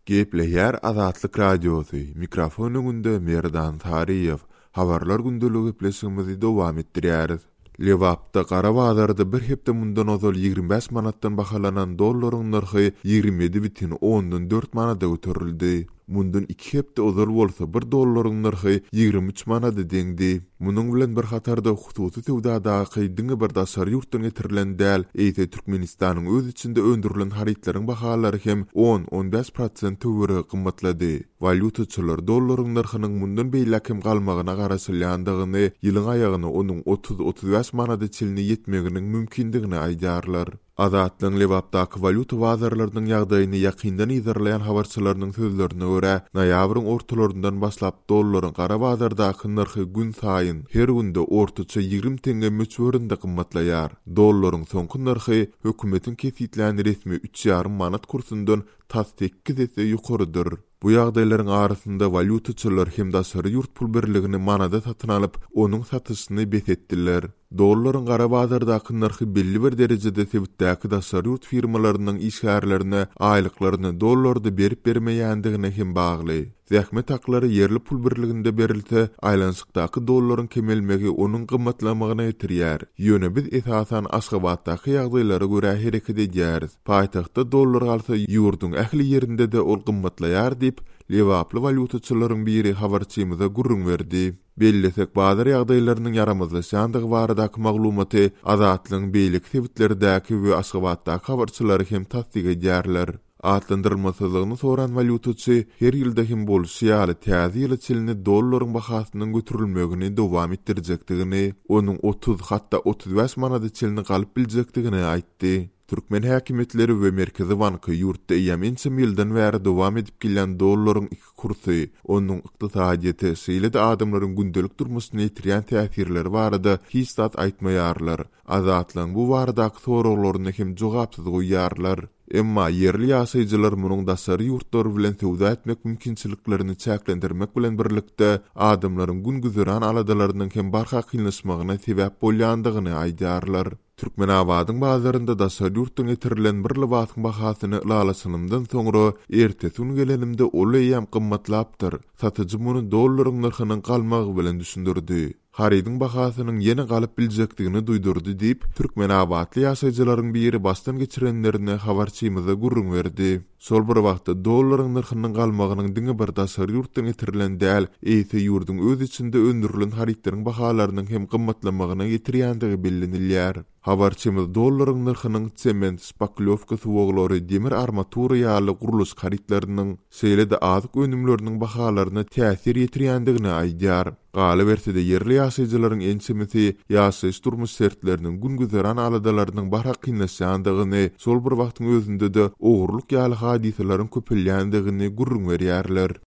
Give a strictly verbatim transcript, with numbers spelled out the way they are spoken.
Gepleýär Azatlyk Radiosy, mikrofon öňünde Merdan Saryýew. Habarlar gündeligi gepleşigimizi dowam etdirýäris. Lebapda gara bazarda bir hepde mundan ozal ýigrimi bäş manatdan bahalanan dollaryň nyrhy ýigrimi ýedi bütin ondan dört manada göterildi. Mundan iki hepde ozal bolsa bir dollaryň nyrhy ýigrimi üç manada deňdi. Munuň bilen bir hatarda hususy söwdadaky diňe bir daşary ýurtdan getirilen däl, eýse Türkmenistanyň öz içinde öndürilen harytlaryň bahalary hem on-on bäş prosent töweregi gymmatlady. Walýutaçylar dollaryň nyrhynyň mundan beýläk hem galmagyna garaşylýandygyny, ýylyň aýagyna onuň otuz-otuz bäş manada çenli ýetmeginiň mümkindigini aýdýarlar. Azatlygyň Lebapdaky walýuta bazarlarynyň ýagdaýyny ýakyndan yzarlaýan habarçylarynyň sözlerine görä, noýabryň ortalaryndan başlap dollaryň gara bazardaky nyrhy gün saýyn her günde ortaça ýigrimi teňňe möçberinde gymmatlaýar. Dollaryň soňky nyrhy hökümetiň kesgitlän resmi üç ýarym manat kursundan tas sekiz esse ýokarydyr. Bu ýagdaýlaryň arasynda walýutaçylar hem daşary ýurt pul birligini manada satyn alyp, onuň satyşyny bes etdiler. Dollaryň gara bazardaky nyrhy belli bir derejede sebitdäki daşary ýurt firmalarynyň işgärlerine aýlyklaryny dollarda berip bermeýändigine hem bagly. Zähmet haklary ýerli pul birliginde berilse, aýlanyşykdaky dollaryň kemelmegi onuň gymmatlamagyna getirýär. Ýöne biz esasan Aşgabatdaky ýagdaýlara görä hereket edýäris. Paýtagtda dollar galsa, ýurduň ähli ýerinde-de ol gymmatlaýar diýip, Lebaply walýutaçylaryň biri habarçymyza gürrüň berdi. Bellesek, bazar ýagdaýlarynyň ýaramazlaşýandygy baradaky maglumaty Azatlygyň beýleki sebitlerdäki we Aşgabatdaky habarçylary hem tassyk edýärler. Atlandyrylmasyzlygyny soran walýutaçy her ýylda hem bolşy ýaly täze ýyla çenli dollaryň bahasynyň göterilmegini dowam etdirjekdigini, onuň otuz, hatda otuz bäş manada çenli galyp biljekdigini aýtdy. Türkmen häkimiýetleri we Merkezi banky ýurtda eýýäm ençeme ýyldan bäri dowam edip gelýän dollaryň iki kursy, onuň ykdysadyýete, şeýle-de adamlaryň gündelik durmuşyna ýetirýän täsirleri barada hiç zat aýtmaýarlar. Azatlygyň bu baradaky soraglaryny hem jogapsyz goýýarlar. Emma ýerli ýaşaýjylar munuň daşary ýurtlar bilen söwda etmek mümkinçiliklerini çäklendirmek bilen birlikde adamlaryň gün-güzeran aladalarynyň hem barha kynlaşmagyna sebäp bolýandygyny aýdýarlar. Türkmenabadyň bazarynda daşary ýurtdan getirilen bir lybasyň bahasyny ylalaşanymdan soňra ertesi gün gelenimde ol eýýäm gymmatlapdyr. Satyjy muny dollaryň nyrhynyň galmagy bilen düşündirdi. Harydyň bahasynyň ýene galyp biljekdigini duýdurdy diýip, Türkmenabatly ýaşaýjylaryň biri başdan geçirenlerini habarçymyza gürrüň berdi. Şol bir wagtda dollaryň nyrhynyň galmagynyň diňe bir daşary ýurtdan getirilen däl, eýse ýurduň öz içinde öndürilen harytlaryň bahalarynyň hem gymmatlamagyna getirýändigi bellenilýär. Habarçymyz dollaryň nyrhynyň sement, şpaklýowka suwaglary, demir armatura ýaly gurluşyk harytlarynyň, şeýle-de azyk önümleriniň bahalaryna täsir ýetirýändigini aýdýar. Galyberse-de ýerli ýaşaýjylaryň ençemesi ýaşaýyş durmuş şertleriniň gün-güzeran aladalarynyň barha kynlaşýandygyny, şol bir wagtyň özünde-de ogurlyk ýaly hadysalaryň köpelýändigini gürrüň berýärler.